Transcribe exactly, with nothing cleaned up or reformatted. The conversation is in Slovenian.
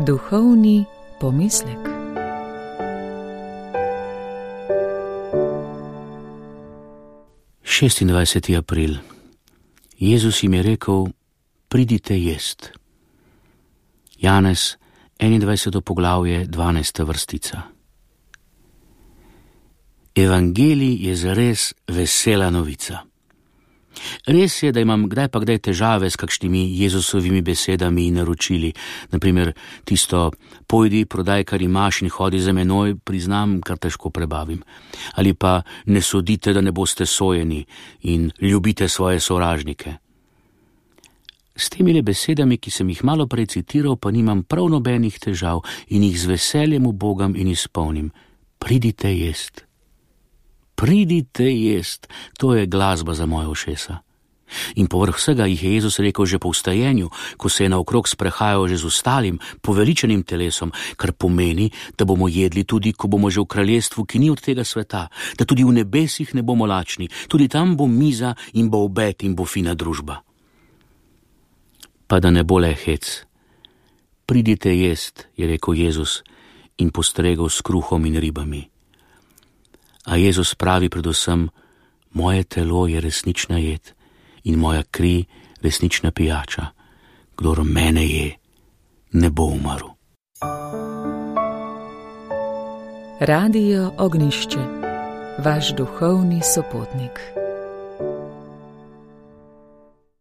Duhovni pomislek. šestindvajseti april. Jezus jim je rekel: pridite jest. Janez, enaindvajseto poglavje, dvanajsta vrstica. Evangelij je zares vesela novica. Res je, da imam kdaj pa kdaj težave s kakšnimi Jezusovimi besedami in naročili. Naprimer, tisto: pojdi, prodaj, kar imaš in hodi za menoj, priznam, kar težko prebavim. Ali pa: ne sodite, da ne boste sojeni, in ljubite svoje sovražnike. S temi besedami, ki sem jih malo prej citiral, pa nimam prav nobenih težav in jih z veseljem ubogam in izpolnim. Pridite jest. Pridite jest, to je glasba za moje ušesa. In povrh vsega jih je Jezus rekel že po vstajenju, ko se je naokrog sprehajal že z ostalim, poveličenim telesom, kar pomeni, da bomo jedli tudi, ko bomo že v kraljestvu, ki ni od tega sveta, da tudi v nebesih ne bomo lačni, tudi tam bo miza in bo obed in bo fina družba. Pa da ne bo le hec. Pridite jest, je rekel Jezus in postregel s kruhom in ribami. A Jezus pravi predvsem: moje telo je resnična jed in moja kri resnična pijača. Kdor mene je, ne bo umrl. Radio Ognjišče, vaš duhovni sopotnik.